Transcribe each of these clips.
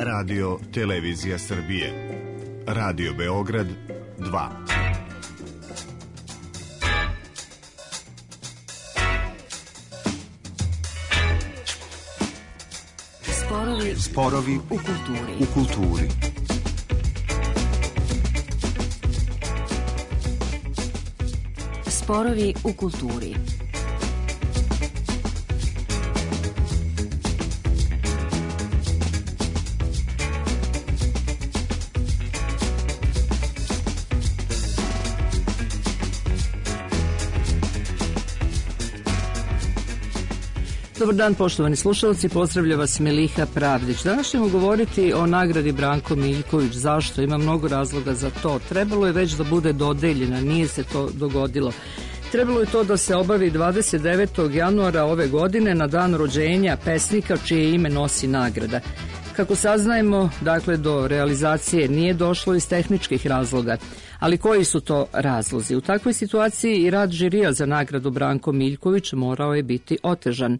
Radio Televizija Srbije. Radio Beograd 2. Sporovi u kulturi. Sporovi u kulturi. Dobar dan, poštovani slušalci, pozdravlja vas Meliha Pravdić. Danas ćemo govoriti o nagradi Branko Miljković. Zašto? Ima mnogo razloga za to. Trebalo je već da bude dodeljena, nije se to dogodilo. Trebalo je to da se obavi 29. januara ove godine na dan rođenja pesnika čije ime nosi nagrada. Kako saznajemo, dakle, do realizacije nije došlo iz tehničkih razloga. Ali koji su to razlozi? U takvoj situaciji i rad žirija za nagradu Branko Miljković morao je biti otežan.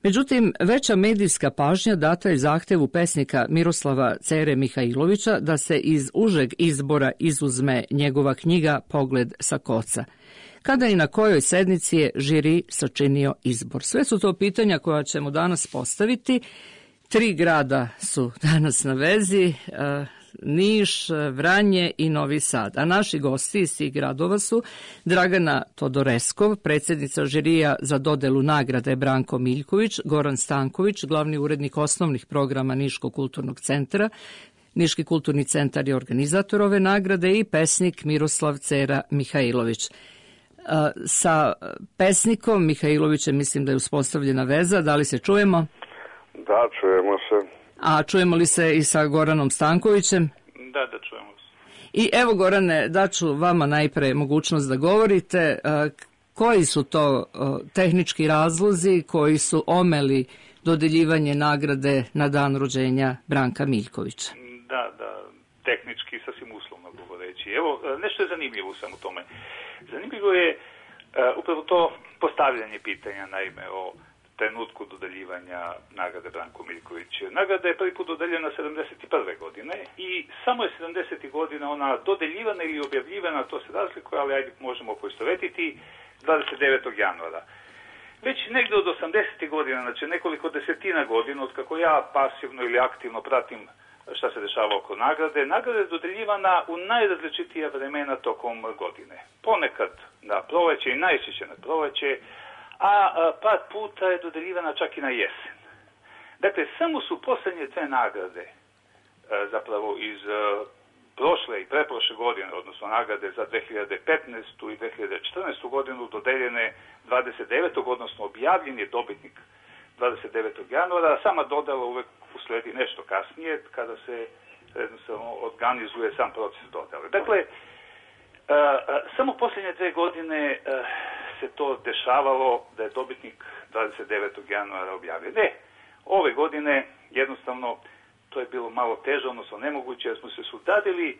Međutim, veća medijska pažnja data je zahtevu pesnika Miroslava Cere Mihajlovića da se iz užeg izbora izuzme njegova knjiga Pogled sa koca. Kada i na kojoj sednici je žiri sačinio izbor? Sve su to pitanja koja ćemo danas postaviti. 3 grada su danas na vezi, Niš, Vranje i Novi Sad. A naši gosti iz tih gradova su Dragana Todoreskov, predsjednica žirija za dodelu nagrade Branko Miljković, Goran Stanković, glavni urednik osnovnih programa Niškog kulturnog centra. Niški kulturni centar je organizator ove nagrade i pesnik Miroslav Cera Mihajlović. Sa pesnikom Mihajlovićem mislim da je uspostavljena veza. Da li se čujemo? Da, čujemo se. A čujemo li se i sa Goranom Stankovićem? Da, čujemo se. I evo, Gorane, daću vama najpre mogućnost da govorite. Koji su to tehnički razlozi koji su omeli dodeljivanje nagrade na dan rođenja Branka Miljkovića? Da, tehnički sasvim uslovno govoreći. Evo, nešto je zanimljivo samo u tome. Zanimljivo je upravo to postavljanje pitanja, naime, o trenutku dodeljivanja nagrade Branko Miljković. Nagrada je prvi put dodeljena 71. godine i samo je 70. godina ona dodeljivana ili objavljivana, to se razlikuje, ali ajde možemo poistovetiti, 29. januara. Već negdje od 80. godina, znači nekoliko desetina godina, od kako ja pasivno ili aktivno pratim šta se dešava oko nagrade, nagrada je dodeljivana u najrazličitija vremena tokom godine. Ponekad na proleće i najčešće na proleće, a par puta je dodeljivana čak i na jesen. Dakle, samo su posljednje 2 nagrade, zapravo iz prošle i preprošle godine, odnosno nagrade za 2015. i 2014. godinu dodeljene 29. odnosno objavljen je dobitnik 29. januara, sama dodala uvek usledi nešto kasnije, kada se jednostavno organizuje sam proces dodale. Dakle, samo posljednje 2 godine se to dešavalo da je dobitnik 29. januara objavljen. Ove godine jednostavno to je bilo malo teže, odnosno nemoguće, jer smo se sudadili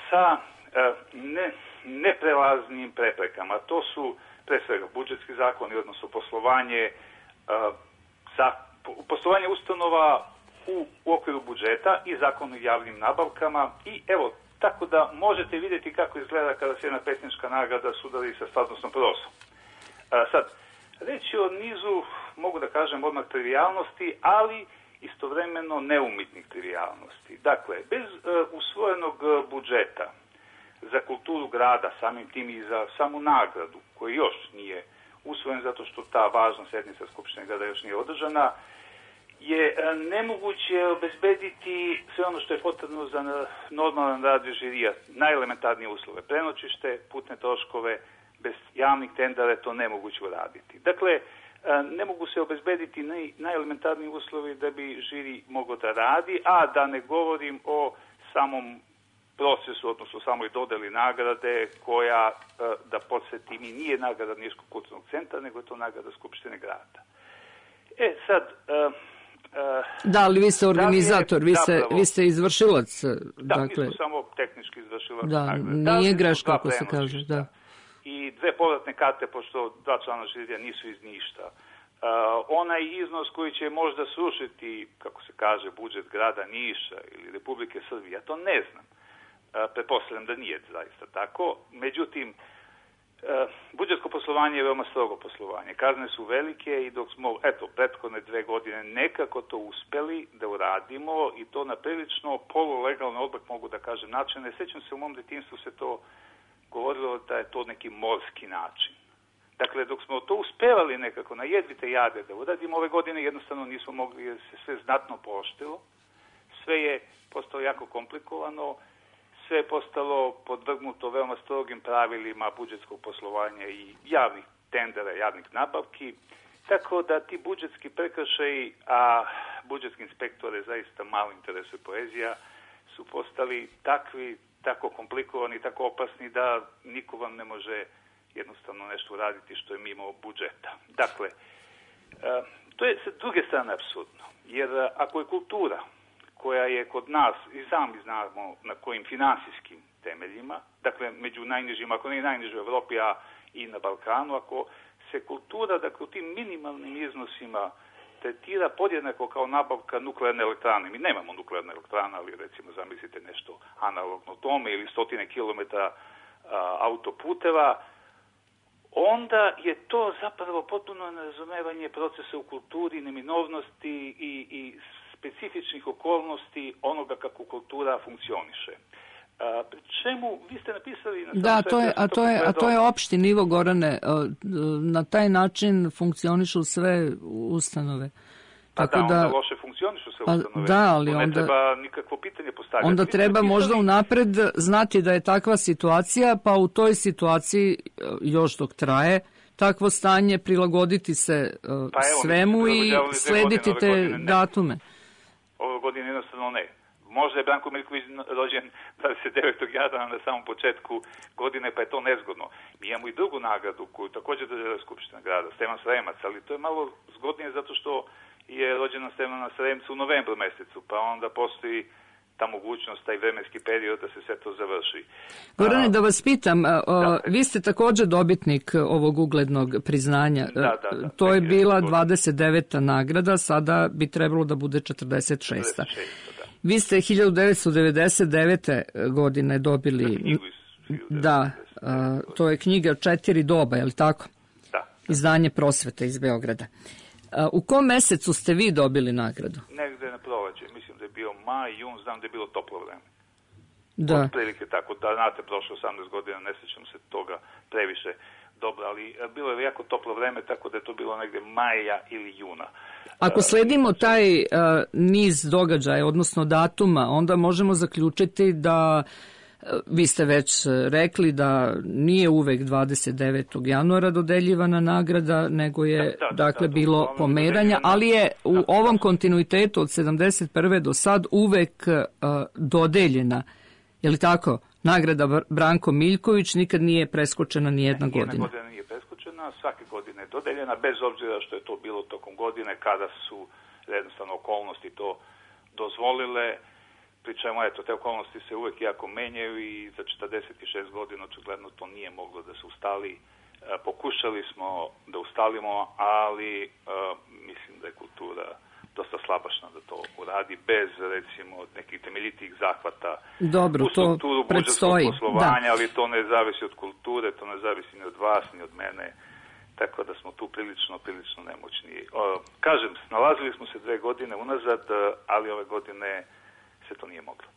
sa neprelaznim preprekama. To su pre svega budžetski zakoni, odnosno poslovanje ustanova u okviru budžeta i zakon o javnim nabavkama i evo, tako da možete vidjeti kako izgleda kada se jedna pesnička nagrada sudari sa stvarnosnom prosom. Sad, reći o nizu, mogu da kažem odmah trivijalnosti, ali istovremeno neumitnih trivijalnosti. Dakle, bez usvojenog budžeta za kulturu grada, samim tim i za samu nagradu, koji još nije usvojen zato što ta važna sednica Skupštine grada još nije održana, je nemoguće obezbediti sve ono što je potrebno za normalan rad žirija, najelementarnije uslove, prenoćište, putne troškove, bez javnih tendera je to nemoguće uraditi. Dakle, ne mogu se obezbediti najelementarniji uslovi da bi žiri mogao da radi, a da ne govorim o samom procesu, odnosno samoj dodeli nagrade koja, da podsjetim, i nije nagrada Niškog kulturnog centra, nego je to nagrada Skupštine grada. Sad... Da, ali vi ste organizator, vi ste izvršilac. Da, dakle, mi smo samo tehnički izvršilac. Da, nije greška ako se kaže. Da. I 2 povratne karte, pošto 2 člana žirija nisu iz Ništa. onaj iznos koji će možda srušiti, kako se kaže, budžet grada Niša ili Republike Srbije, ja to ne znam. Pretpostavljam da nije zaista tako. Međutim, budžetsko poslovanje je veoma strogo poslovanje. Kazne su velike i dok smo, prethodne 2 godine nekako to uspeli da uradimo i to na prilično polulegalno, odmah mogu da kažem, način. Ne sećam se, u mom detinjstvu se to govorilo da je to neki morski način. Dakle, dok smo to uspevali nekako na jedvite jade da uradimo, ove godine jednostavno nismo mogli jer se sve znatno pooštrilo. Sve je postalo jako komplikovano, sve je postalo podvrgnuto veoma strogim pravilima budžetskog poslovanja i javnih tendera, javnih nabavki, tako da ti budžetski prekršaji, a budžetski inspektore zaista malo interesuje poezija, su postali takvi, tako komplikovani, tako opasni da niko vam ne može jednostavno nešto uraditi što je mimo budžeta. Dakle, to je sa druge strane apsurdno, jer ako je kultura koja je kod nas, i sami znamo na kojim finansijskim temeljima, dakle među najnižima, ako ne najniže u Evropi, a i na Balkanu, ako se kultura, dakle u tim minimalnim iznosima tretira podjednako kao nabavka nuklearne elektrane. Mi nemamo nuklearne elektrane, ali recimo zamislite nešto analogno tome ili 100 kilometara autoputeva, onda je to zapravo potpuno nerazumevanje procesa u kulturi, neminovnosti i specifičnih okolnosti onoga kako kultura funkcioniše. Pri čemu vi ste napisali... Da, to je opšti nivo, Gorane. Na taj način funkcionišu sve ustanove. Onda loše funkcionišu sve ustanove. Da, ali ne treba nikakvo pitanje postavljati. Onda treba možda unapred znati da je takva situacija, pa u toj situaciji, još dok traje, takvo stanje prilagoditi se svemu i slediti te datume. Ove godine jednostavno ne. Možda je Branko Miljković rođen 29. januara na samom početku godine, pa je to nezgodno. Mi imamo i drugu nagradu koju također dodjeljuje Skupština grada, Stevan Sremac, ali to je malo zgodnije zato što je rođena Stevana Sremca u novembru mesecu, pa onda postoji ta mogućnost, taj vremenski period da se sve to završi. Gorane, da vas pitam, vi ste također dobitnik ovog uglednog priznanja. To je bila 29. nagrada, sada bi trebalo da bude 46. Vi ste 1999. godine dobili... Da, to je knjiga 4 doba, je li tako? Da. Izdanje Prosvete iz Beograda. U kom mesecu ste vi dobili nagradu? Negde na proleće, mislim da je bio maj, jun, znam da je bilo toplo vreme. Da. Otprilike tako, da znate, prošlo 18 godina, ne sjećam se toga previše dobro, ali bilo je jako toplo vreme, tako da je to bilo negde maja ili juna. Ako sledimo taj niz događaja, odnosno datuma, onda možemo zaključiti da, vi ste već rekli da nije uvek 29. januara dodeljivana nagrada, nego je bilo pomeranja, ali je u ovom kontinuitetu od 71. do sad uvek dodeljena. Je li tako? Nagrada Branko Miljković nikad nije preskočena ni jedna godina. Nijedna godina nije preskočena, svake godine je dodeljena, bez obzira što je to bilo tokom godine kada su jednostavno okolnosti to dozvolile. Pri čemu, te okolnosti se uvek jako menjaju i za 46 godina očigledno to nije moglo da se ustali. Pokušali smo da ustalimo, ali mislim da je kultura dosta slabašna da to uradi bez, recimo, nekih temeljitih zahvata u strukturu budžetskog poslovanja, ali to ne zavisi od kulture, to ne zavisi ni od vas, ni od mene, tako da smo tu prilično nemoćni. Kažem, nalazili smo se 2 godine unazad, ali ove godine se to nije moglo.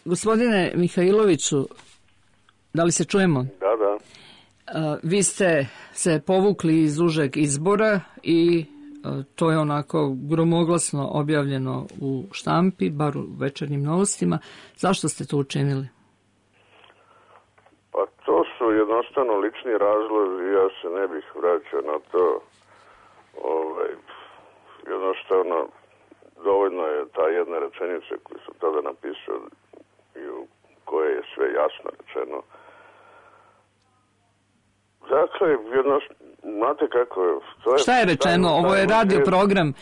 Gospodine Mihajloviću, da li se čujemo? Da. Vi ste se povukli iz užeg izbora i to je onako gromoglasno objavljeno u štampi, bar u Večernjim novostima. Zašto ste to učinili? Pa to su jednostavno lični razlozi, ja se ne bih vraćao na to. Jednostavno, dovoljno je ta jedna rečenica koju su tada napisao i u kojoj je sve jasno rečeno. Dakle, znate kako je... Šta je rečeno? Ovo je radio program,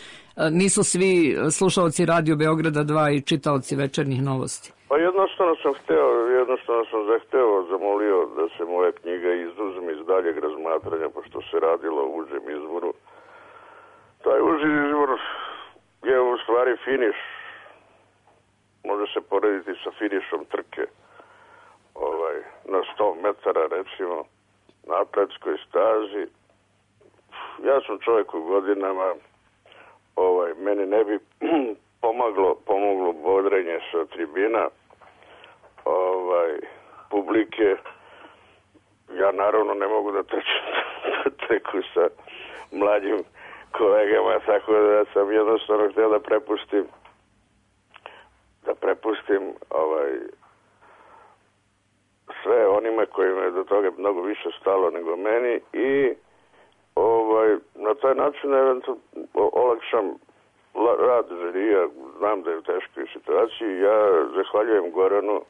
nisu svi slušalci Radio Beograda 2 i čitaoci Večernjih novosti. Pa jednostavno sam zamolio da se moja knjiga izuzme iz daljeg razmatranja, pošto se radilo o užem izboru. Taj uži izbor je u stvari finiš. Može se porediti sa finišom trke. Na 100 metara, recimo, na atletskoj stazi. Ja sam čovjek u godinama, meni ne bi pomoglo bodrenje sa tribina, publike. Ja naravno ne mogu da trku sa mlađim kolegama, tako da sam jednostavno htio da prepustim sve onima kojima je do toga mnogo više stalo nego meni i na taj način eventualno olakšam rad žirija. Znam da je u teškoj situaciji. Ja zahvaljujem Goranu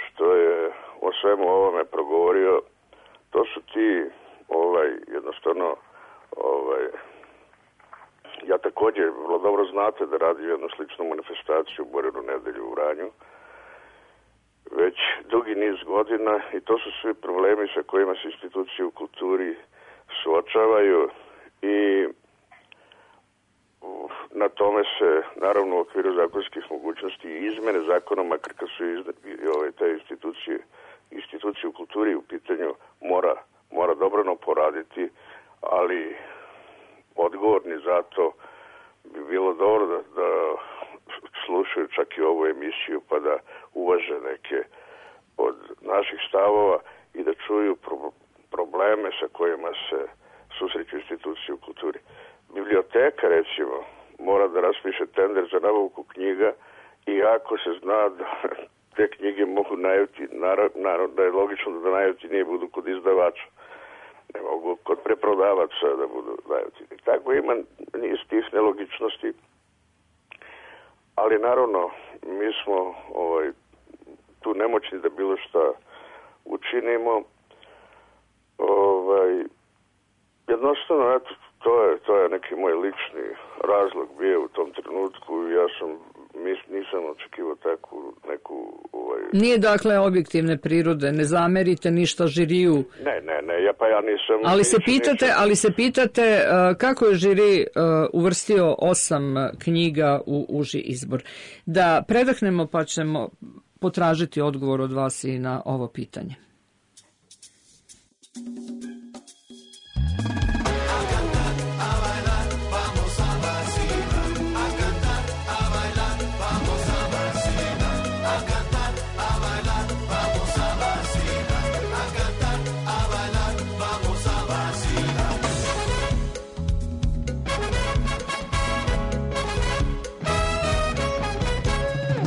što je o svemu ovome progovorio. To su ti jednostavno ja također vrlo dobro znate da radi jednu sličnu manifestaciju u Borinu nedelju u Vranju već dugi niz godina i to su svi problemi sa kojima se institucije u kulturi suočavaju i na tome se naravno u okviru zakonskih mogućnosti i izmene zakona, makar kad su te institucije u kulturi u pitanju mora dobrano poraditi, ali odgovorni za to bi bilo dobro da slušaju čak i ovu emisiju pa da uvaže neke od naših stavova i da čuju probleme sa kojima se susreću institucije u kulturi. Biblioteka, recimo, mora da raspiše tender za nabavku knjiga i ako se zna da te knjige mogu naravno da je logično da najjeftinije budu kod izdavača. Ne mogu kod preprodavaca da budu najjeftinije. Tako ima niz tih nelogičnosti. Ali naravno, mi smo tu nemoćni da bilo šta učinimo. Jednostavno, eto, to je neki moj lični razlog bio u tom trenutku. Ja nisam očekivao neku... Nije dakle objektivne prirode, ne zamerite ništa žiriju. Ne, ja nisam... Ali se pitate kako je žiri uvrstio 8 knjiga u uži izbor. Da predahnemo pa ćemo potražiti odgovor od vas i na ovo pitanje.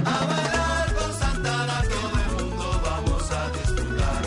A bailar con Santana todo el mundo vamos a disfrutar.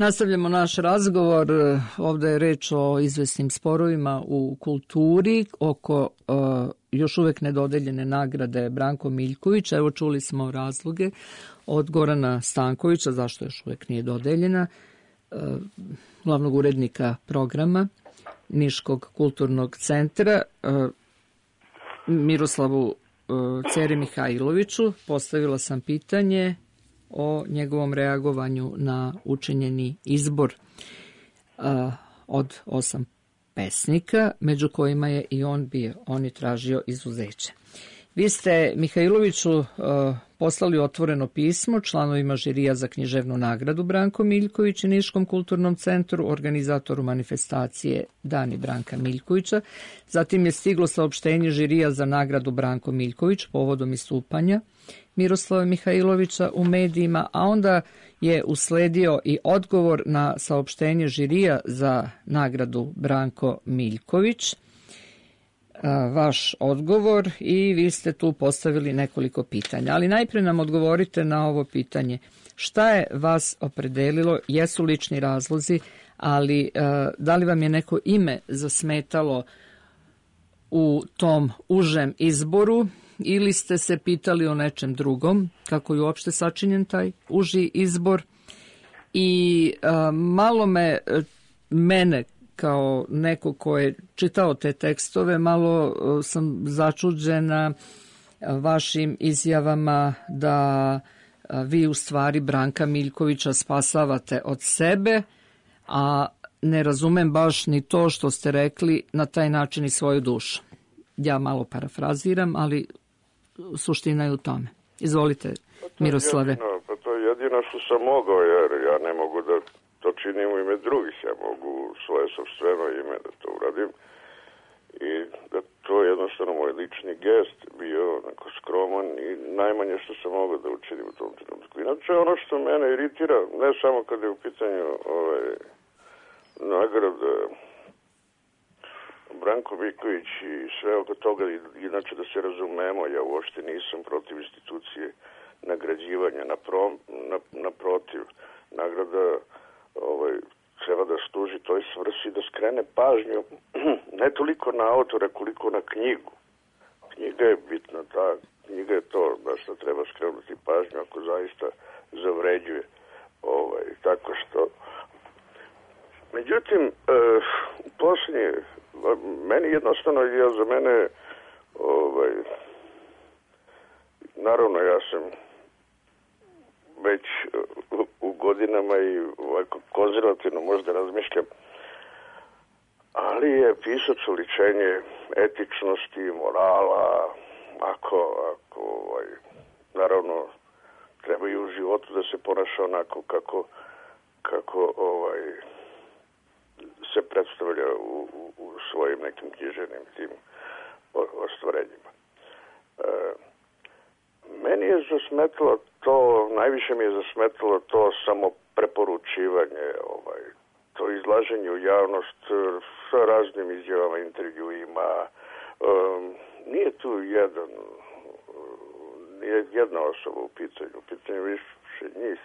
Nastavljamo naš razgovor. Ovdje je reč o izvesnim sporovima u kulturi oko još uvijek nedodeljene nagrade Branko Miljković. Evo, čuli smo razloge od Gorana Stankovića zašto još uvijek nije dodeljena, glavnog urednika programa Niškog kulturnog centra. Miroslavu Ceri Mihajloviću postavila sam pitanje o njegovom reagovanju na učinjeni izbor od 8 pesnika, među kojima je i on bio. On je tražio izuzeće. Vi ste, Mihajloviću, poslali otvoreno pismo članovima žirija za književnu nagradu Branko Miljković i Niškom kulturnom centru, organizatoru manifestacije Dani Branka Miljkovića. Zatim je stiglo saopštenje žirija za nagradu Branko Miljković povodom istupanja Miroslava Mihajlovića u medijima, a onda je usledio i odgovor na saopštenje žirija za nagradu Branko Miljković, vaš odgovor, i vi ste tu postavili nekoliko pitanja. Ali najprije nam odgovorite na ovo pitanje. Šta je vas opredelilo, jesu lični razlozi, ali da li vam je neko ime zasmetalo u tom užem izboru ili ste se pitali o nečem drugom, kako je uopšte sačinjen taj uži izbor? I malo mene kao neko ko je čitao te tekstove, malo sam začuđena vašim izjavama da vi u stvari Branka Miljkovića spasavate od sebe, a ne razumem baš ni to što ste rekli, na taj način i svoju dušu. Ja malo parafraziram, ali suština je u tome. Izvolite, Miroslave. To je jedino što sam mogao, jer ja ne mogu da to činim u ime drugih. Ja mogu svoje sopstveno ime da to uradim i da to je jednostavno moj lični gest bio onako skroman i najmanje što sam mogao da učinim u tom trenutku. Inače, ono što mene iritira, ne samo kada je u pitanju nagrada Branko Miljković i sve oko toga, inače da se razumemo, ja uopšte nisam protiv institucije nagrađivanja, naprotiv, nagrada treba da služi toj svrsi, da skrene pažnju ne toliko na autora koliko na knjigu. Knjiga je bitna, ta knjiga je to na što treba skrenuti pažnju ako zaista zavređuje. Tako što međutim posljednje meni jednostavno, za mene naravno ja sam već u godinama i ovako konzervativno možda razmišljam, ali je pisac oličenje etičnosti, morala, ako naravno treba i u životu da se ponaša onako kako se predstavlja u svojim nekim književnim tim ostvarenjima. Meni je zasmetalo to, najviše mi je zasmetalo to samo preporučivanje, to izlaženje u javnost sa raznim izjavama, intervjuima. Nije tu jedna osoba u pitanju više njih.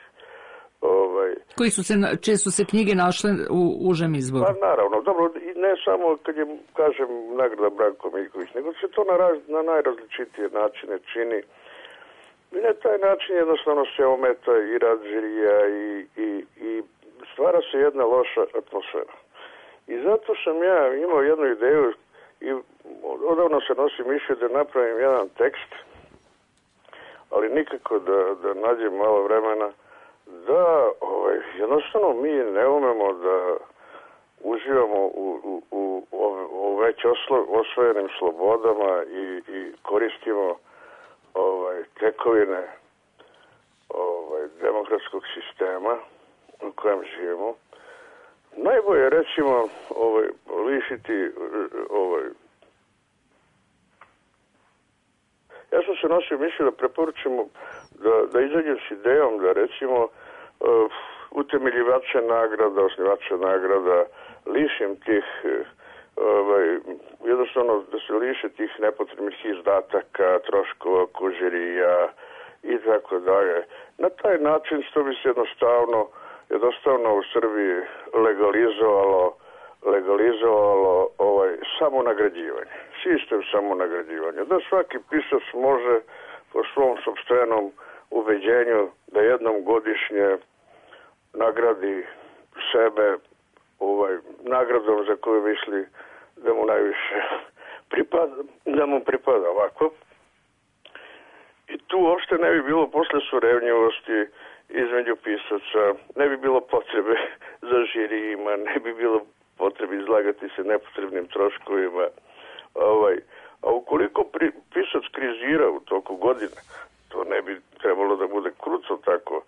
Čije su se knjige našle u užem izboru? Pa naravno, dobro, i ne samo kad je, kažem, nagrada Branko Miljković, nego se to na najrazličitije načine čini. I na taj način jednostavno se ometa i rad žirija i stvara se jedna loša atmosfera. I zato sam ja imao jednu ideju i odavno se nosim mišlju da napravim jedan tekst, ali nikako da nađem malo vremena, da jednostavno mi ne umemo da uživamo u već osvojenim slobodama i koristimo tekovine demokratskog sistema u kojem živimo. Najbolje je, recimo, lišiti ja sam se nosio mišlju da preporučimo da izađem s idejom da, recimo, utemeljivače nagrada, osnivače nagrada, lišim tih jednostavno da se liše tih nepotrebnih izdataka, troškova, žirija i tako dalje. Na taj način što bi se jednostavno jednostavno u Srbiji legalizovalo samonagrađivanje, sistem samonagrađivanja, da svaki pisac može po svom sopstvenom ubeđenju da jednom godišnje nagradi sebe nagradom za koju misli da mu najviše pripada ovako. I tu uopšte ne bi bilo posle surevnjivosti između pisaca, ne bi bilo potrebe za žirijima, ne bi bilo potrebe izlagati se nepotrebnim troškovima. A ukoliko pisac krizira u toku godine, to ne bi trebalo da bude kruco tako,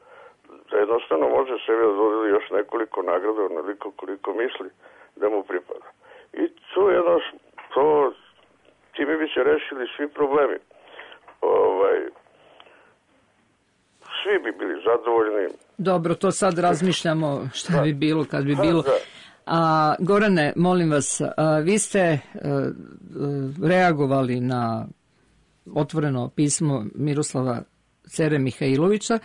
da jednostavno može sebi da dodeli još nekoliko nagrada onoliko koliko misli da mu pripada. I time bi se rešili svi problemi. Svi bi bili zadovoljni. Dobro, to sad razmišljamo šta bi bilo kad bi bilo. A Gorane, molim vas, vi ste reagovali na otvoreno pismo Miroslava Cere Mihajlovića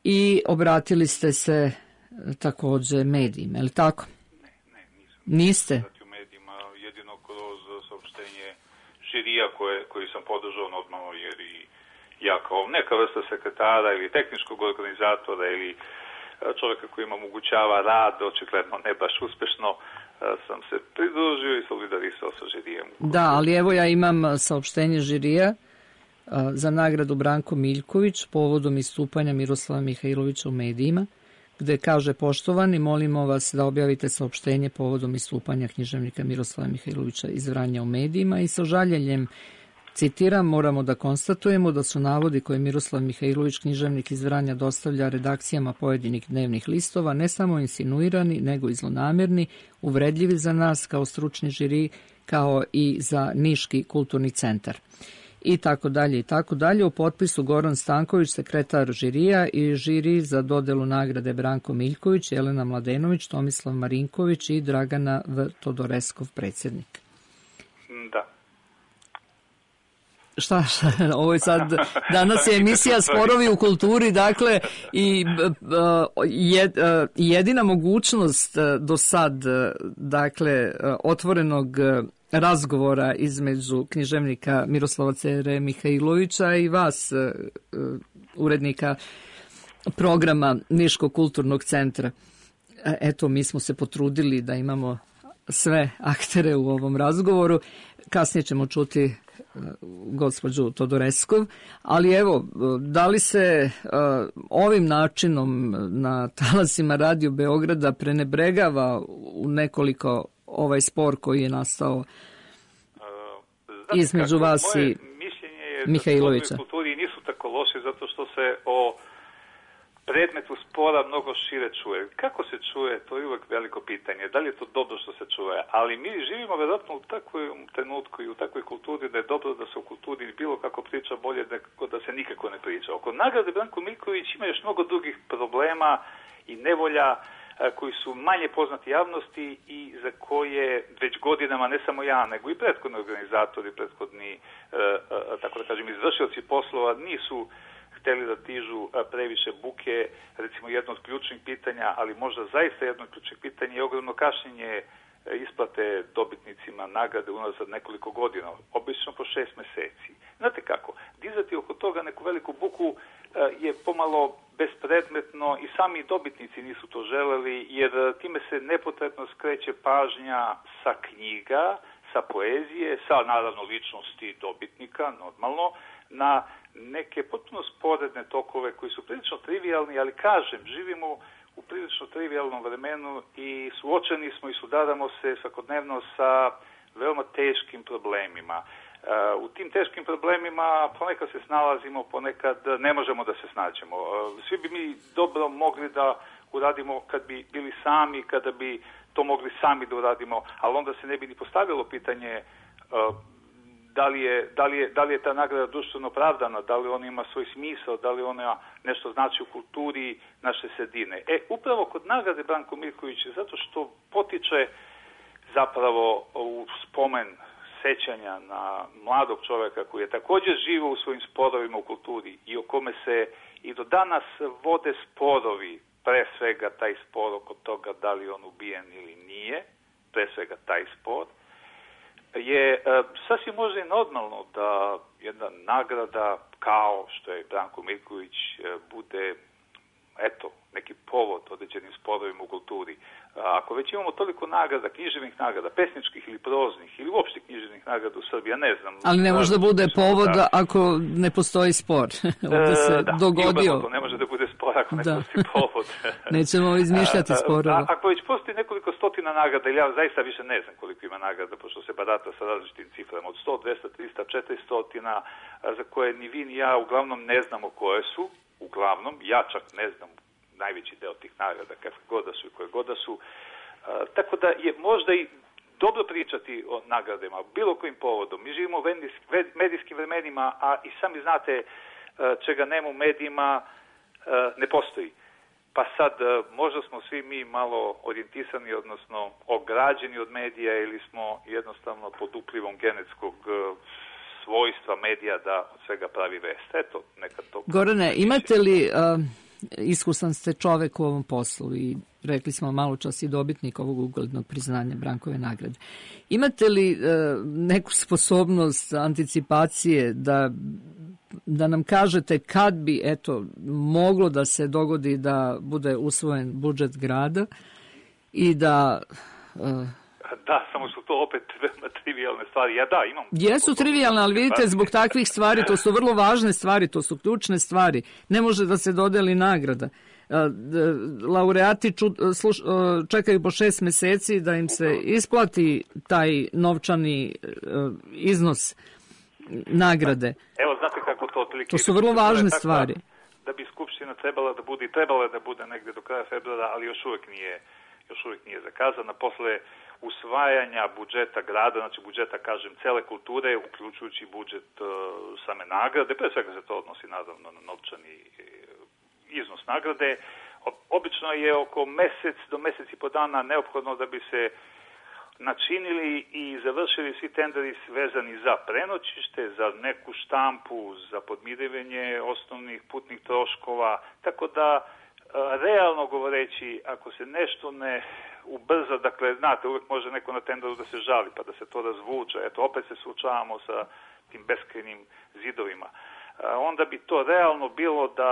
i obratili ste se takođe medijima, je li tako? Ne, nisam. Niste? U medijima, jedino kroz saopštenje žirija koji sam podržao normalno, jer i ja kao neka vrsta sekretara ili tehničkog organizatora ili čovjeka koji im omogućava rad, očigledno ne baš uspešno, sam se pridružio i solidarisao sa žirijem. Da, ali evo ja imam saopštenje žirija za nagradu Branko Miljković povodom istupanja Miroslava Mihajlovića u medijima, gde kaže: poštovani, molimo vas da objavite saopštenje povodom istupanja književnika Miroslava Mihajlovića iz Vranja u medijima i sa žaljenjem, citiram, moramo da konstatujemo da su navodi koje Miroslav Mihajlović, književnik iz Vranja, dostavlja redakcijama pojedinih dnevnih listova ne samo insinuirani, nego i zlonamerni, uvredljivi za nas kao stručni žiri, kao i za Niški kulturni centar. I tako dalje, i tako dalje. U potpisu Goran Stanković, sekretar žirija, i žiri za dodelu nagrade Branko Miljković, Jelena Mladenović, Tomislav Marinković i Dragana V. Todoreskov, predsjednik. Da. Šta, ovo je sad, danas je emisija Sporovi u kulturi, dakle, i jedina mogućnost do sad, dakle, otvorenog razgovora između književnika Miroslava Cere Mihajlovića i vas, urednika programa Niškog kulturnog centra. Eto, mi smo se potrudili da imamo sve aktere u ovom razgovoru. Kasnije ćemo čuti gospođu Todoreskov, ali evo, da li se ovim načinom na talasima Radio Beograda prenebregava u nekoliko ovaj spor koji je nastao između vas i Mihajlovića? Moje kulturi nisu tako loše zato što se o predmetu spora mnogo šire čuje. Kako se čuje, to je uvek veliko pitanje. Da li je to dobro što se čuje? Ali mi živimo vjerojatno u takvom trenutku i u takvoj kulturi da je dobro da se o kulturi bilo kako priča bolje nego da se nikako ne priča. Oko nagrade Branko Miljković ima još mnogo drugih problema i nevolja koji su manje poznati javnosti i za koje već godinama, ne samo ja, nego i prethodni organizatori, prethodni, tako da kažem, izvršioci poslova nisu hteli da tižu previše buke. Recimo, jedno od ključnih pitanja, ali možda zaista jedno od ključnih pitanja je ogromno kašnjenje isplate dobitnicima nagrade unazad nekoliko godina, obično po 6 meseci. Znate kako, dizati oko toga neku veliku buku je pomalo bespredmetno i sami dobitnici nisu to želeli, jer time se nepotrebno skreće pažnja sa knjiga, sa poezije, sa naravno ličnosti dobitnika, normalno, na neke potpuno sporedne tokove koji su prilično trivialni, ali kažem, živimo u prilično trivialnom vremenu i suočeni smo i sudaramo se svakodnevno sa veoma teškim problemima. U tim teškim problemima ponekad se snalazimo, ponekad ne možemo da se snađemo. Svi bi mi dobro mogli da uradimo kad bi bili sami, kada bi to mogli sami da uradimo, ali onda se ne bi ni postavilo pitanje da li je ta nagrada društveno opravdana, da li ona ima svoj smisao, da li ona nešto znači u kulturi naše sredine. Upravo kod nagrade Branko Miljković, zato što potiče zapravo u spomen sećanja na mladog čoveka koji je također živio u svojim sporovima u kulturi i o kome se i do danas vode sporovi pre svega taj spor oko toga da li on ubijen ili nije, pre svega taj spor, je sasvim možda i normalno da jedna nagrada kao što je Branko Miljković bude, eto, neki povod određenim sporovima u kulturi. Ako već imamo toliko nagrada, književnih nagrada, pesničkih ili proznih, ili uopšte književnih nagrada u Srbiji, ja ne znam. Ali ne može da bude povod ako ne postoji spor. Ovdje se dogodio. Ne može da bude spor ako ne postoji povod. Nećemo izmišljati sporova. Ako već postoji nekoliko stotina nagrada, ili ja zaista više ne znam koliko ima nagrada, pošto se barata sa različitim ciframa, od 100, 200, 300, 400, za koje ni vi ni ja uglavnom ne znamo koje su, uglavnom, ja čak ne znam najveći deo tih nagrada, kakve god da su i koje god da su. Tako da je možda i dobro pričati o nagradama, bilo kojim povodom. Mi živimo u medijskim vremenima, a i sami znate čega nema u medijima, ne postoji. Pa sad, možda smo svi mi malo orijentisani, odnosno ograđeni od medija, ili smo jednostavno pod uplivom genetskog svojstva medija da od svega pravi vest. Eto, nekad to... Gorane, imate li... Iskusan ste čovek u ovom poslu i rekli smo malo čas i dobitnik ovog uglednog priznanja Brankove nagrade. Imate li neku sposobnost anticipacije da nam kažete kad bi moglo da se dogodi da bude usvojen budžet grada i da... Da, samo su to opet trivijalne stvari. Ja imam... Jesu trivijalne, ali vidite, zbog takvih stvari, to su vrlo važne stvari, to su ključne stvari. Ne može da se dodeli nagrada. Laureati čekaju po 6 meseci da im se isplati taj novčani iznos nagrade. Evo, znate kako to otprilike... To su vrlo važne stvari. Da bi Skupština trebala da bude negde do kraja februara, ali još uvek nije zakazana. Posle usvajanja budžeta grada, znači budžeta, kažem, cele kulture, uključujući budžet same nagrade, pre svega se to odnosi naravno na novčani iznos nagrade. Obično je oko mesec do mesec i po dana neophodno da bi se načinili i završili svi tenderi vezani za prenoćište, za neku štampu, za podmirivanje osnovnih putnih troškova, tako da realno govoreći, ako se nešto ne ubrza, dakle, znate, uvek može neko na tenderu da se žali, pa da se to razvuče, eto, opet se suočavamo sa tim beskrajnim zidovima. Onda bi to realno bilo da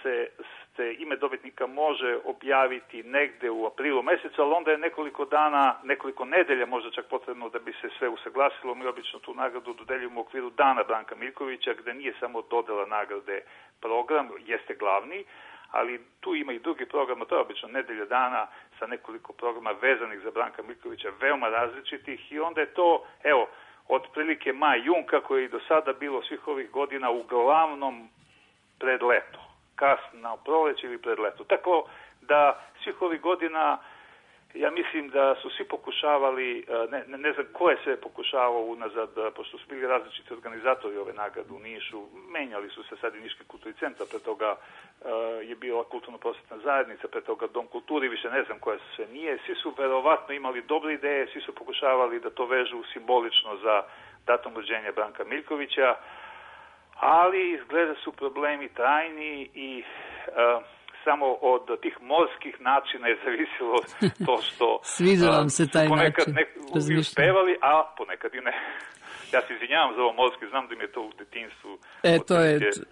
se ime dobitnika može objaviti negde u aprilu mesecu, ali onda je nekoliko nedelja možda čak potrebno da bi se sve usaglasilo. Mi obično tu nagradu dodeljujemo u okviru Dana Branka Miljkovića, gde nije samo dodela nagrade program, jeste glavni, ali tu ima i drugi program, to je obično nedelja dana sa nekoliko programa vezanih za Branka Miljkovića, veoma različitih, i onda je to, evo, otprilike maj-jun, kako je i do sada bilo svih ovih godina, uglavnom pred leto, kasno proleće ili pred leto. Tako da svih ovih godina, ja mislim da su svi pokušavali, ne znam ko je sve pokušavao unazad, pošto su bili različiti organizatori ove nagrade u Nišu, menjali su se sad i Niški kulturni centar, pre toga je bila kulturno-prosvetna zajednica, pre toga Dom kulturi, više ne znam koja sve nije. Svi su verovatno imali dobre ideje, svi su pokušavali da to vežu simbolično za datum rođenja Branka Miljkovića, ali izgleda su problemi trajni i samo od tih morskih načina je zavisilo to što sviđa vam se taj ponekad način uspevali, a ponekad i ne. Ja se izvinjavam za ovo morski, znam da mi je to u detinjstvu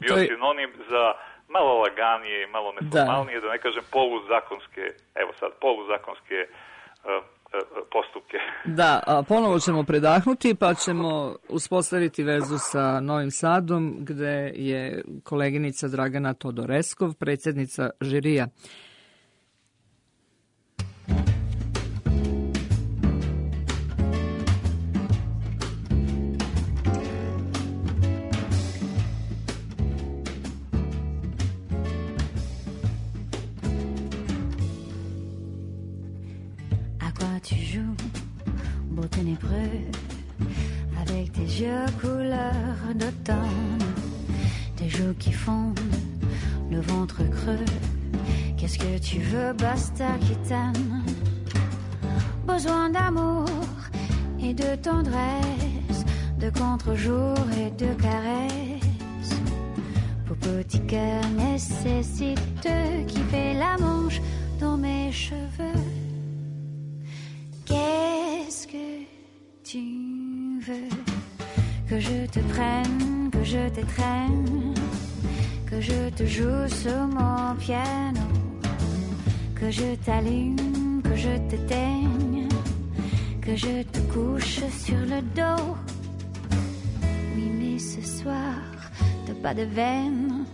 bio sinonim za malo laganije, malo neformalnije, da ne kažem poluzakonske postupke. Da, ponovo ćemo predahnuti pa ćemo uspostaviti vezu sa Novim Sadom, gde je koleginica Dragana Todoreskov, predsjednica žirija. Tu joues, beau ténébreux, avec tes yeux couleur d'automne, tes joues qui fondent, le ventre creux. Qu'est-ce que tu veux, basta qui t'aime? Besoin d'amour et de tendresse, de contre-jour et de caresses. Vos petits cœurs nécessitent qui fait la manche dans mes cheveux. Qu'est-ce que tu veux? Que je te prenne, que je t'étreigne, que je te joue sur mon piano, que je t'allume, que je t'éteigne, que je te couche sur le dos. Oui, mais ce soir, t'as pas de veine,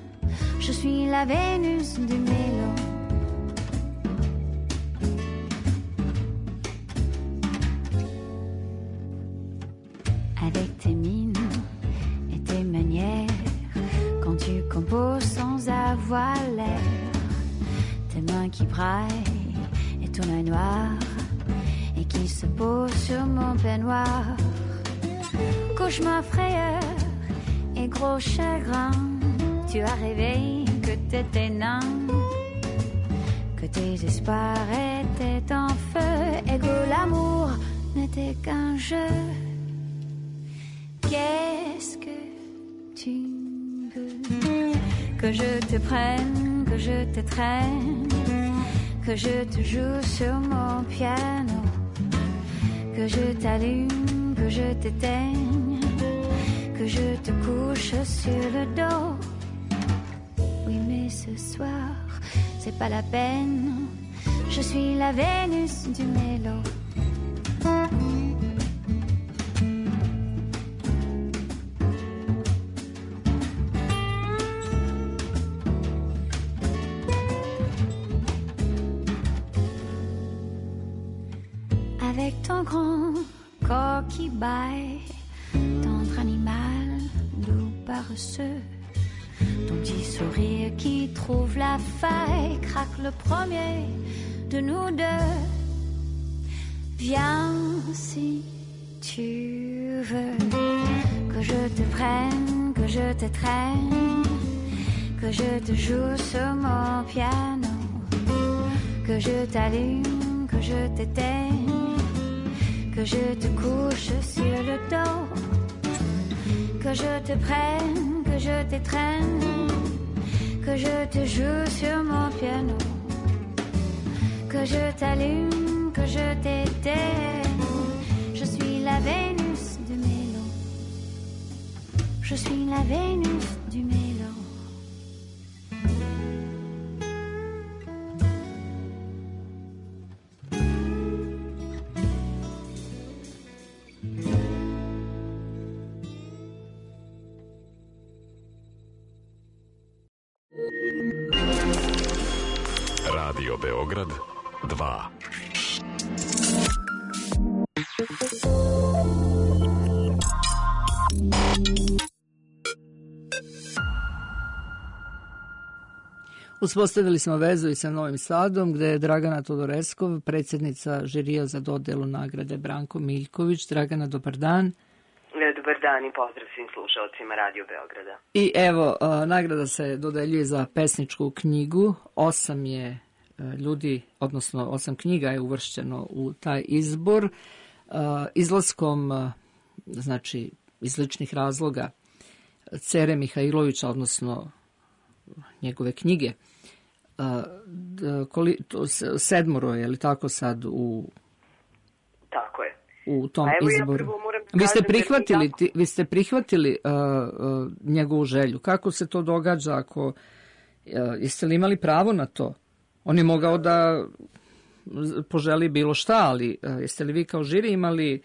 je suis la Vénus du mélo. Avec tes mines et tes manières, quand tu composes sans avoir l'air, tes mains qui braillent et ton œil noir et qui se pose sur mon peignoir. Cauchemar, frayeur et gros chagrin, tu as rêvé que t'étais nain, que tes espoirs étaient en feu et que l'amour n'était qu'un jeu. Qu'est-ce que tu veux? Que je te prenne, que je t'étreigne, que je te joue sur mon piano, que je t'allume, que je t'éteigne, que je te couche sur le dos. Oui, mais ce soir, c'est pas la peine, je suis la Vénus du mélo. Avec ton grand corps qui baille, tendre animal, doux paresseux, ton petit sourire qui trouve la faille, craque le premier de nous deux. Viens si tu veux, que je te prenne, que je t'étreigne, que je te joue sur mon piano, que je t'allume, que je t'éteigne, que je te couche sur le dos, que je te prenne, que je t'étreigne, que je te joue sur mon piano, que je t'allume, que je t'éteigne. Je suis la Vénus du mélo. Je suis la Vénus du mélo. Radio Beograd 2. Uspostavili smo vezu i sa Novim Sadom, gde je Dragana Todoreskov, predsjednica žirija za dodelu nagrade Branko Miljković. Dragana, dobar dan. Dobar dan i pozdrav svim slušalcima Radio Beograda. I evo, nagrada se dodeljuje za pesničku knjigu. 8 je ljudi, odnosno 8 knjiga je uvršćeno u taj izbor. Izlaskom, znači, iz ličnih razloga Cere Mihajlovića, odnosno njegove knjige, 7 je li tako sad Tako je. U tom izboru. Vi ste prihvatili njegovu želju. Kako se to događa? Jeste li imali pravo na to? On je mogao da poželi bilo šta, ali jeste li vi kao žiri imali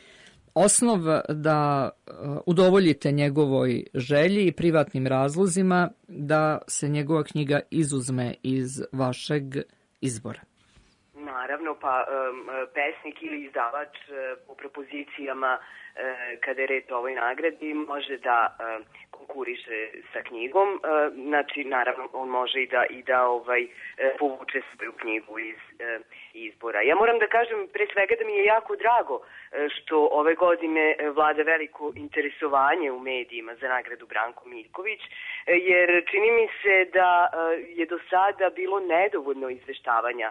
osnov da udovoljite njegovoj želji i privatnim razlozima da se njegova knjiga izuzme iz vašeg izbora? Naravno, pa pesnik ili izdavač po propozicijama kada je reč o ovoj nagradi može da konkuriše sa knjigom, znači naravno on može i da povuče svoju knjigu iz izbora. Ja moram da kažem pre svega da mi je jako drago što ove godine vlada veliko interesovanje u medijima za nagradu Branko Miljković, jer čini mi se da je do sada bilo nedovoljno izveštavanja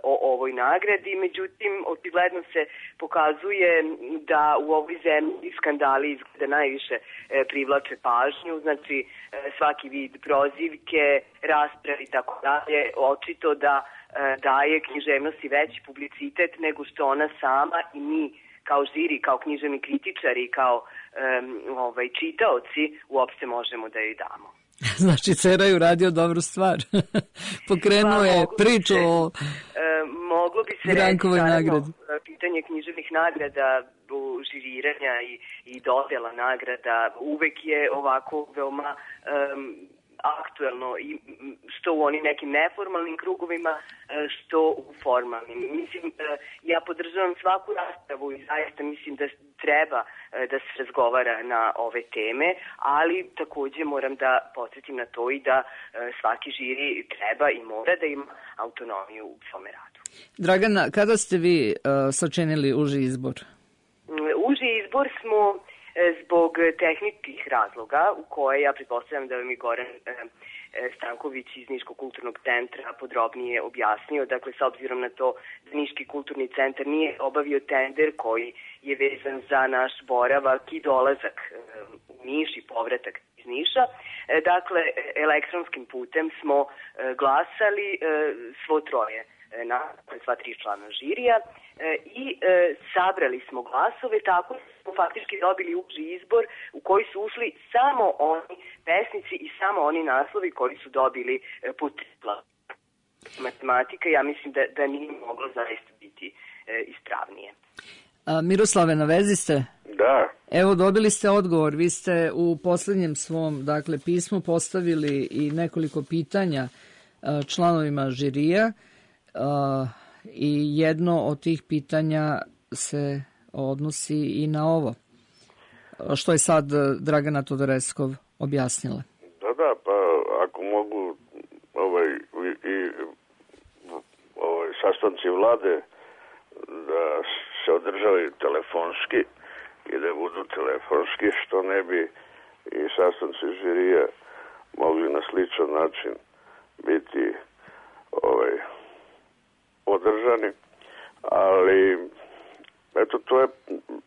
o ovoj nagradi, međutim, očigledno se pokazuje da u ovoj zemlji skandali izgleda najviše privlače pažnju, znači svaki vid prozivke, rasprave i tako dalje, očito da daje književnosti veći publicitet nego što ona sama i mi kao žiri, kao književni kritičari, kao čitaoci uopšte možemo da joj damo. Znači, Cera je uradio dobru stvar. Pokrenuo je priču o moglo bi se Brankovoj nagradi. Pitanje književnih nagrada, žiriranja i dodela nagrada uvek je ovako veoma aktuelno, što u onim nekim neformalnim krugovima, što u formalnim. Mislim, ja podržavam svaku raspravu i zaista mislim da treba da se razgovara na ove teme, ali takođe moram da podsjetim na to i da svaki žiri treba i mora da ima autonomiju u svome radu. Dragana, kada ste vi sačinili uži izbor? Uži izbor smo zbog tehničkih razloga, u koje ja pretpostavljam da vam je Goran Stanković iz Niškog kulturnog centra podrobnije objasnio. Dakle, s obzirom na to da Niški kulturni centar nije obavio tender koji je vezan za naš boravak i dolazak u Niš i povratak iz Niša. Dakle, elektronskim putem smo glasali svo troje, sva 3 člana žirija i sabrali smo glasove, tako smo faktički dobili uži izbor u koji su ušli samo oni pesnici i samo oni naslovi koji su dobili putila. Matematika, ja mislim da nije moglo zaista biti ispravnije. Miroslave, na vezi ste? Da. Evo, dobili ste odgovor. Vi ste u poslednjem svom pismu postavili i nekoliko pitanja članovima žirija i jedno od tih pitanja se odnosi i na ovo, što je sad Dragana Todoreskov objasnila. Da, pa ako mogu sastanci vlade da se održavaju telefonski i da budu telefonski, što ne bi i sastanci žirija mogli na sličan način biti održani, ali eto, to je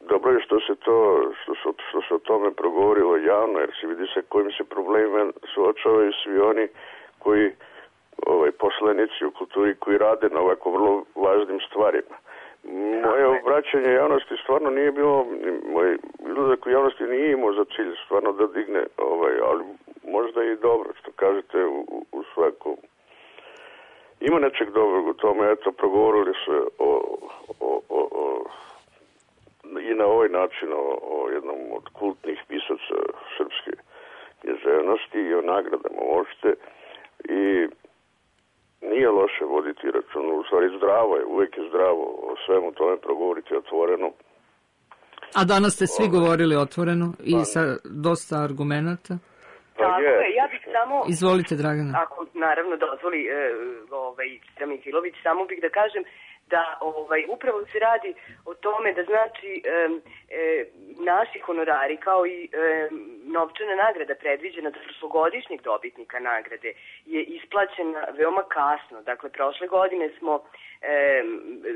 dobro što se o tome progovorilo javno, jer se vidi sa kojim se problemima suočavaju svi oni koji poslanici u kulturi koji rade na ovako vrlo važnim stvarima. Moje obraćanje javnosti stvarno nije bilo, moj izlazak u javnosti nije imao za cilj stvarno da digne, ali možda i dobro što kažete u svakom. Ima nečeg dobrog u tome, eto, progovorili se i na ovaj način o jednom od kultnih pisaca srpske književnosti i o nagradama uopšte i nije loše voditi račun, u stvari zdravo je, uvek je zdravo o svemu tome progovoriti otvoreno. A danas ste svi govorili otvoreno i sa dosta argumenata? Tako je, ja bih samo... Izvolite, Dragana. Ako naravno dozvoli Mihilović, samo bih da kažem da upravo se radi o tome da znači naši honorari kao i novčana nagrada predviđena za prošlogodišnjeg dobitnika nagrade je isplaćena veoma kasno. Dakle, prošle godine smo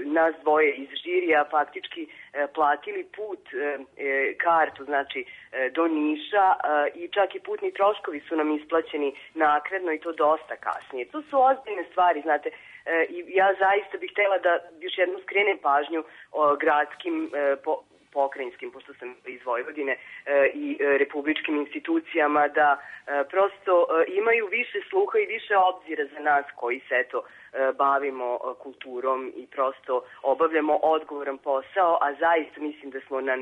nas dvoje iz žirija faktički platili put, kartu, znači do Niša i čak i putni troškovi su nam isplaćeni naknadno i to dosta kasnije. To su ozbiljne stvari, znate, i ja zaista bih htjela da još jednom skrenem pažnju o gradskim pokrajinskim, pošto sam iz Vojvodine, i republičkim institucijama da prosto imaju više sluha i više obzira za nas koji se bavimo kulturom i prosto obavljamo odgovoran posao, a zaista mislim da smo na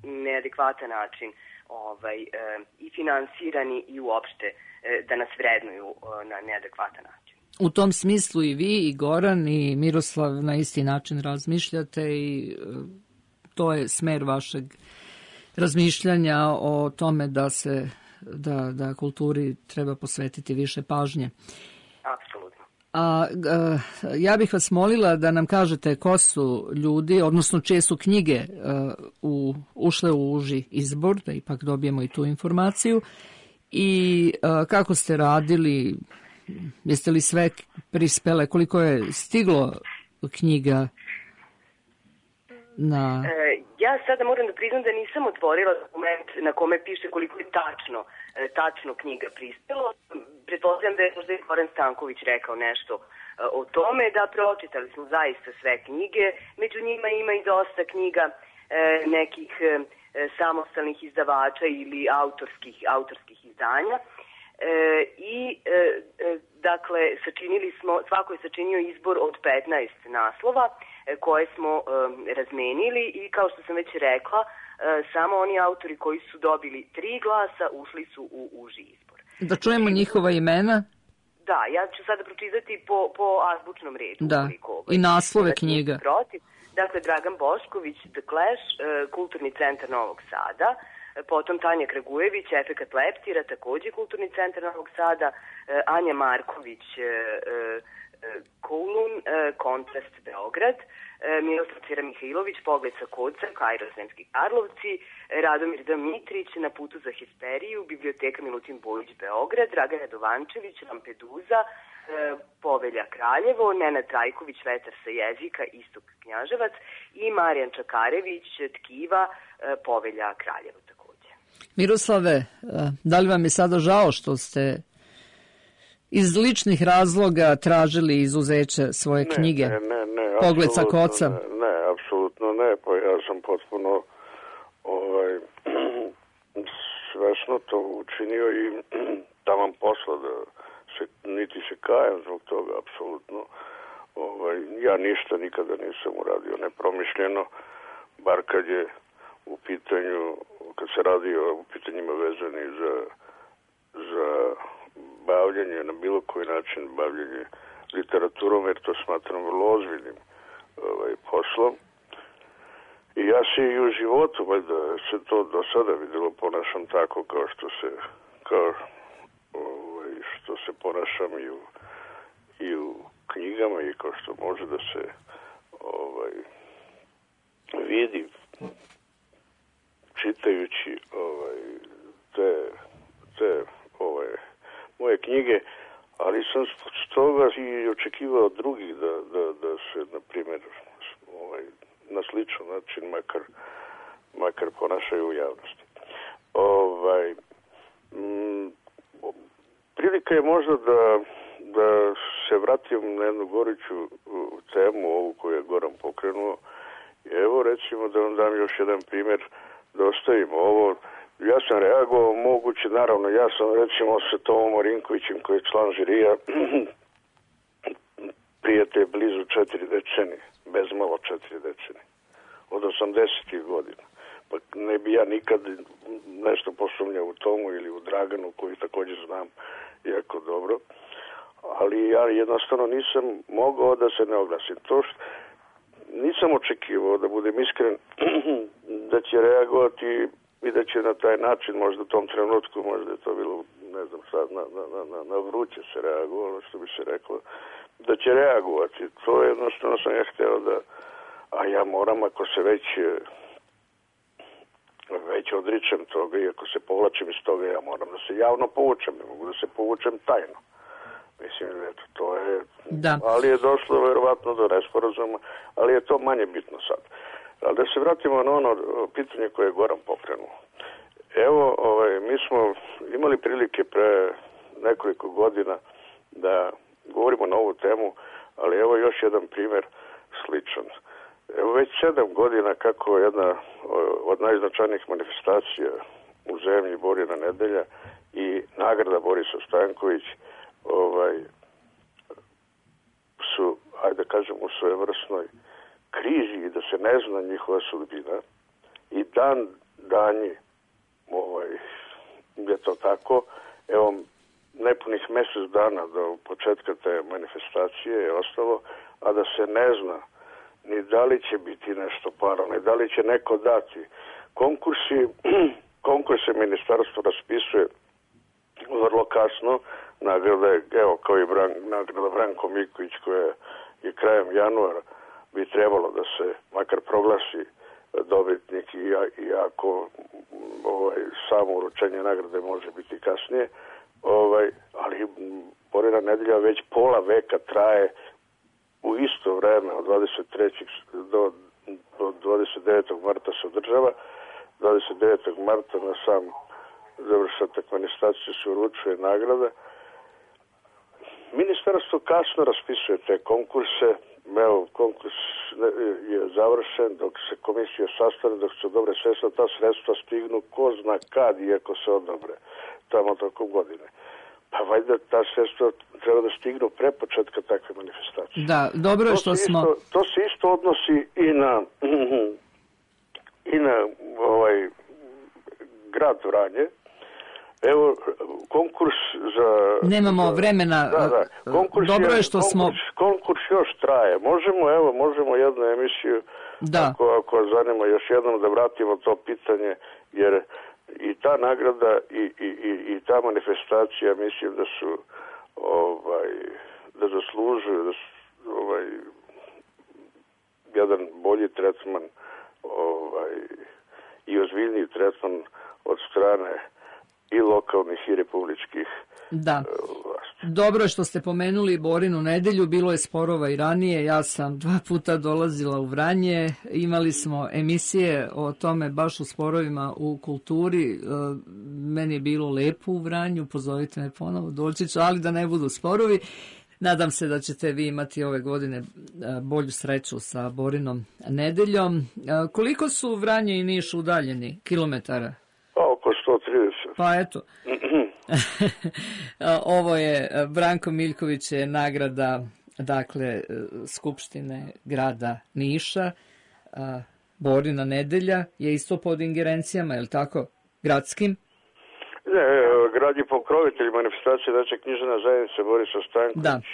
neadekvatan način i finansirani i uopšte da nas vrednuju na neadekvatan način. U tom smislu i vi, i Goran, i Miroslav na isti način razmišljate i to je smer vašeg razmišljanja o tome da kulturi treba posvetiti više pažnje. Apsolutno. Ja bih vas molila da nam kažete ko su ljudi, odnosno čije su knjige ušle u uži izbor, da ipak dobijemo i tu informaciju, i kako ste radili, jeste li sve prispele, koliko je stiglo knjiga na... Ja sada moram da priznam da nisam otvorila dokument na kome piše koliko je tačno knjiga prispelo. Pretpostavljam da je možda i Goran Stanković rekao nešto o tome, da pročitali smo zaista sve knjige. Među njima ima i dosta knjiga nekih samostalnih izdavača ili autorskih izdanja. Dakle, svako je sačinio izbor od 15 naslova koje smo razmenili i kao što sam već rekla, samo oni autori koji su dobili 3 glasa ušli su u uži izbor. Da čujemo njihova imena? Da, ja ću sada pročitati po azbučnom redu. Da, i naslove knjiga. Dakle, Dragan Bošković, The Clash, Kulturni centar Novog Sada, potom Tanja Kragujević, Efekat leptira, takođe Kulturni centar Novog Sada, Anja Marković, Kulun, Kontrast Beograd, Miroslav Cira Mihajlović, Pogled sa koca, Kairo Sremski Karlovci, Radomir D. Mitrić, Na putu za histeriju, Biblioteka Milutin Bojić Beograd, Dragan Radovančević, Lampeduza, Povelja Kraljevo, Nenad Trajković, Vetar sa jezika, Istok Knjaževac i Marijan Čakarević, Tkiva, Povelja Kraljevo takođe. Miroslave, da li vam je sada žao što ste iz ličnih razloga tražili izuzeće svoje knjige? Ne, Pogled sa koca? Ne, apsolutno ne, pa ja sam potpuno svesno to učinio i taman posla da niti se kajem zbog toga, apsolutno. Ja ništa nikada nisam uradio nepromišljeno, bar kad se radi o pitanjima vezani za bavljanje, na bilo koji način bavljanje literaturom, jer to smatram vrlo ozbiljnim poslom. I ja se i u životu, valjda se to do sada vidjelo, ponašam tako kao što se ponašam i u knjigama i kao što može da se vidi čitajući te moje knjige, ali sam stoga i očekivao od drugih da se, na primjer, na sličan način makar ponašaju u javnosti. Prilika je možda da se vratim na jednu goruću temu, ovu koju je Goran pokrenuo. Evo, recimo, da vam dam još jedan primjer, da ostavimo ovo. Ja sam reagovao moguće, naravno, ja sam recimo sa Tomom Marinkovićem, koji je član žirija, prijatelj blizu 4 decenije, bez malo 4 decenije, od 80. godina. Pa ne bi ja nikad nešto posumnjao u Tomu ili u Draganu, koji također znam jako dobro, ali ja jednostavno nisam mogao da se ne oglasim. To što nisam očekivao, da budem iskren, da će reagovati i da će na taj način, možda u tom trenutku, možda je to bilo, ne znam sad, na vruće se reagovalo, što bi se reklo, da će reagovati. To je jednostavno sam ja hteo da, a ja moram, ako se već odričem toga i ako se povlačim iz toga, ja moram da se javno povučem, ne mogu da se povučem tajno. Mislim, eto, to je... Da. Ali je došlo verovatno do nesporazuma, ali je to manje bitno sad. Ali da se vratimo na ono pitanje koje je Goran pokrenuo. Evo, mi smo imali prilike pre nekoliko godina da govorimo na ovu temu, ali evo još jedan primjer sličan. Evo već 7 godina kako jedna od najznačajnijih manifestacija u zemlji Borina nedelja i nagrada Borisa Stanković su, ajde kažem, u svojevrsnoj krizi i da se ne zna njihova sudbina i danji je to tako. Evo, nepunih mjesec dana do početka te manifestacije je ostalo, a da se ne zna ni da li će biti nešto paro, ni da li će neko dati. Konkurse ministarstvo raspisuje vrlo kasno, nagrade, evo kao i nagrada Branko Miković koja je krajem januara bi trebalo da se makar proglasi dobitnik i ako samo uručenje nagrade može biti kasnije, ali Borina nedelja već pola veka traje u u isto vreme od 23. do 29. marta se održava. 29. marta na sam završetak manifestacije se uručuje nagrada. Ministarstvo kasno raspisuje te konkurse. Evo, konkurs je završen, dok se komisija sastane, dok se odobre sredstva, ta sredstva stignu ko zna kad, iako se odobre, tamo tokom godine. Pa valjda ta sredstva treba da stignu pre početka takve manifestacije. Da, dobro je što smo... To se isto odnosi i na grad Vranje. Evo, konkurs za... Nemamo vremena. Dobro je što smo... Konkurs još traje. Možemo jednu emisiju, ako zanima još jednom da vratimo to pitanje, jer i ta nagrada i ta manifestacija, mislim da su da zaslužuju jedan bolji tretman i ozbiljniji tretman od strane i lokalnih i republičkih vlasti. Dobro je što ste pomenuli Borinu nedelju, bilo je sporova i ranije, ja sam 2 puta dolazila u Vranje, imali smo emisije o tome baš u sporovima u kulturi, meni je bilo lepo u Vranju, pozovite me ponovo, doći ću, ali da ne budu sporovi. Nadam se da ćete vi imati ove godine bolju sreću sa Borinom nedeljom. Koliko su Vranje i Niš udaljeni kilometara? Oko 130. Pa eto. Ovo je Branko Miljković je nagrada dakle Skupštine grada Niša. Borina nedelja je isto pod ingerencijama, je li tako? Gradskim? Ne, grad je pokrovitelj manifestacije, znači književna zajednica Borisa Stanković,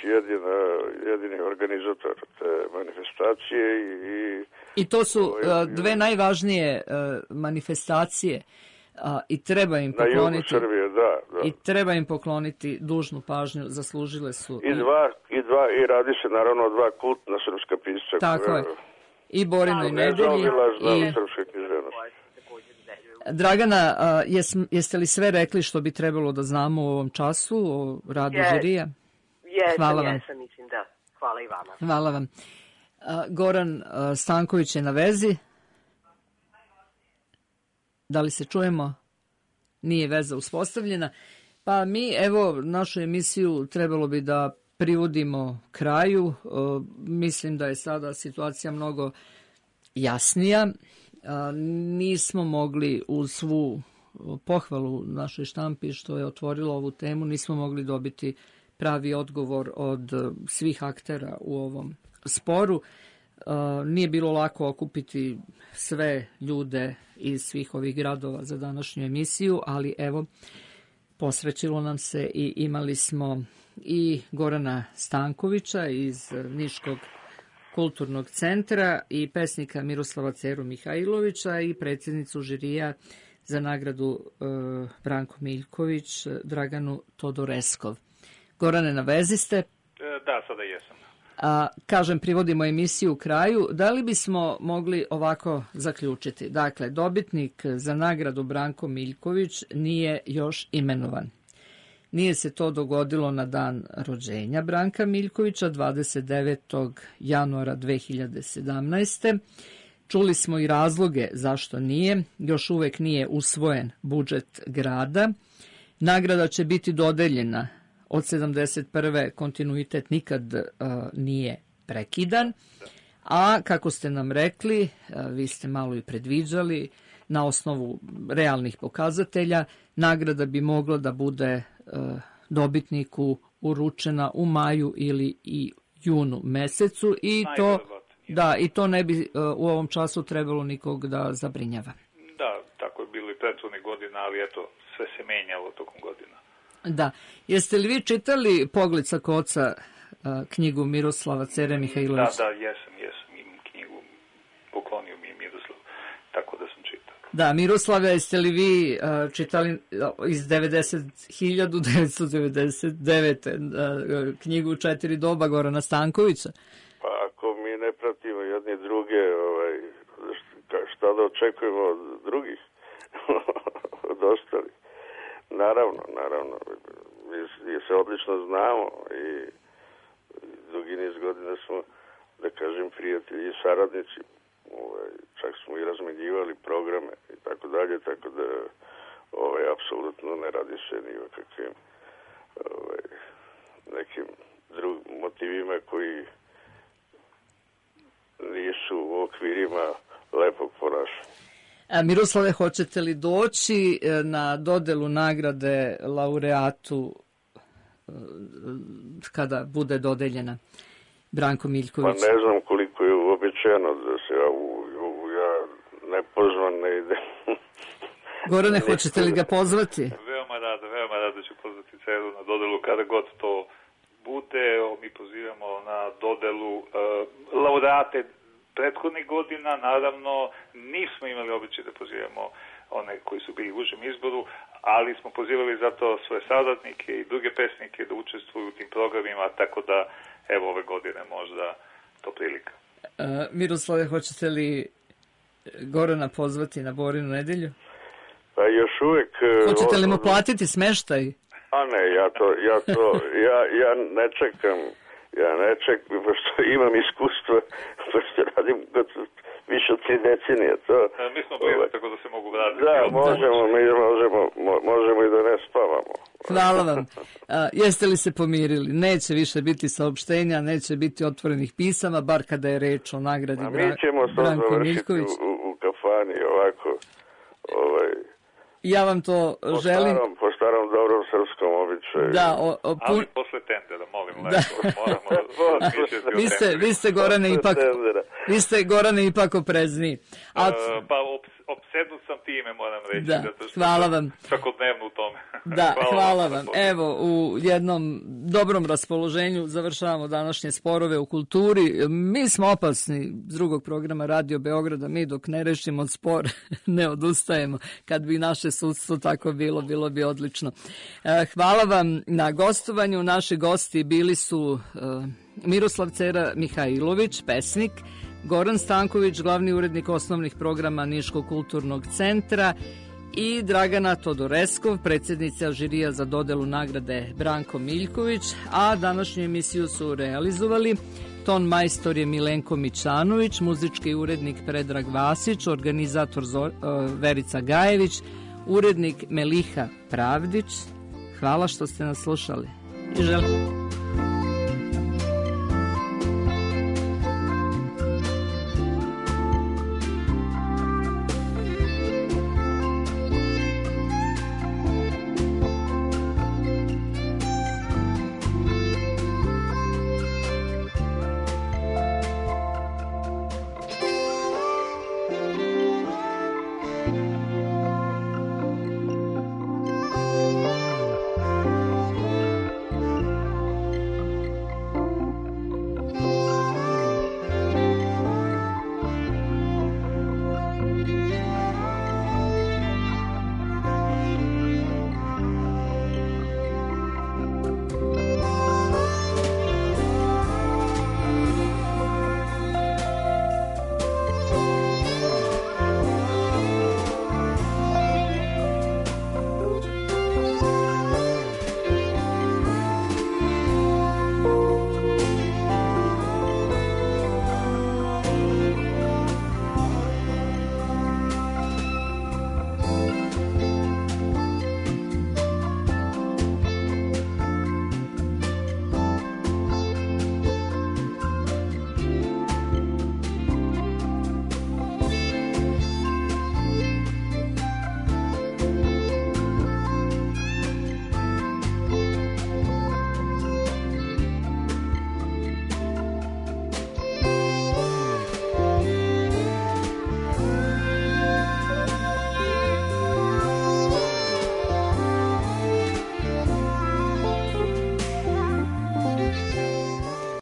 jedini organizator te manifestacije. I to su dve najvažnije manifestacije i treba im pokloniti. Na jugu Srbije, da. I treba im pokloniti dužnu pažnju, zaslužile su. I radi se naravno o 2 kultna srpska pisca. Tako je. I Borinoj nedelji i srpske književnosti. Dragana, jeste li sve rekli što bi trebalo da znamo u ovom času o radu žirija? Jesam, mislim da. Hvala i vama. Hvala vam. Goran Stanković je na vezi. Da li se čujemo? Nije veza uspostavljena. Pa mi, evo, našu emisiju trebalo bi da privodimo kraju. Mislim da je sada situacija mnogo jasnija. Nismo mogli uz svu pohvalu našoj štampi što je otvorilo ovu temu, nismo mogli dobiti pravi odgovor od svih aktera u ovom sporu. Nije bilo lako okupiti sve ljude iz svih ovih gradova za današnju emisiju, ali evo, posrećilo nam se i imali smo i Gorana Stankovića iz Niškog kulturnog centra i pesnika Miroslava Ceru Mihajlovića i predsjednicu žirija za nagradu Branko Miljković, Draganu Todoreskov. Gorane, na vezi ste? Da, sada jesam. Kažem, privodimo emisiju u kraju. Da li bismo mogli ovako zaključiti? Dakle, dobitnik za nagradu Branko Miljković nije još imenovan. Nije se to dogodilo na dan rođenja Branka Miljkovića, 29. januara 2017. Čuli smo i razloge zašto nije. Još uvek nije usvojen budžet grada. Nagrada će biti dodeljena od 71. kontinuitet nikad nije prekidan. A kako ste nam rekli, vi ste malo i predviđali, na osnovu realnih pokazatelja, nagrada bi mogla da bude dobitniku uručena u maju ili i junu mesecu i to ne bi u ovom času trebalo nikog da zabrinjava. Da, tako je bilo i prethodne godine, ali eto, sve se menjalo tokom godina. Da. Jeste li vi čitali Pogled sa koca, knjigu Miroslava Cere Mihajlovića? Da, jesam, imam knjigu, poklonio mi je Miroslav, tako da sam čitao. Da, Miroslave, jeste li vi čitali iz 1999. knjigu 4 doba Gorana Stankovića? Pa ako mi ne pratimo jedni druge, šta da očekujemo od drugih, od ostalih? Naravno, mi se odlično znamo i dugi niz godina smo da kažem, prijatelji i saradnici. Čak smo i razmenjivali programe i tako dalje, tako da apsolutno ne radi se ni o kakvim nekim drugim motivima koji nisu u okvirima lepog ponašanja. Miroslave, hoćete li doći na dodelu nagrade laureatu kada bude dodeljena Branko Miljković? Pa ne znam koliko je uobičajeno da se ja nepozvan ne ide. Gorane, hoćete li ga pozvati? Veoma rado ću pozvati Ceru na dodelu kada god to bude. Mi pozivamo na dodelu laureate prethodnih godina. Naravno, nismo imali običaj da pozivamo one koji su bili u užem izboru, ali smo pozivali zato svoje saradnike i druge pesnike da učestvuju u tim programima, tako da evo ove godine možda to prilika. Miroslave, hoćete li Gorana pozvati na Borinu nedelju? Pa još uvek... Hoćete li mu platiti smeštaj? A ne, ja ne čekam, pošto imam iskustva, pošto radim više od 3 decenije. Mi smo blizu, tako da se mogu vratiti. Da, možemo i da ne spavamo. Hvala vam. Jeste li se pomirili? Neće više biti saopštenja, neće biti otvorenih pisama, bar kada je reč o nagradi Branko Miljković. Mi ćemo to završiti u kafani, ovako. Ja vam to želim. Po starom dobrom srpskom običaju. Da, ali posle tendera, molim lepo. Vi ste, Gorane, ipak oprezniji. Pa opsednut sam time, moram reći. Da, hvala vam. Svakodnevno u tome. Da, hvala vam. Evo, u jednom dobrom raspoloženju završavamo današnje sporove u kulturi. Mi smo opasni s drugog programa Radio Beograda. Mi dok ne rešimo spor ne odustajemo. Kad bi naše sudstvo tako bilo bi odlično. Hvala vam na gostovanju. Naši gosti bili su Miroslav Cera Mihajlović, pesnik, Goran Stanković, glavni urednik osnovnih programa Niškog kulturnog centra i Dragana Todoreskov, predsjednica žirija za dodelu nagrade Branko Miljković, a današnju emisiju su realizovali ton majstor je Milenko Mićanović, muzički urednik Predrag Vasić, organizator Verica Gajević, urednik Meliha Pravdić. Hvala što ste nas slušali. I želim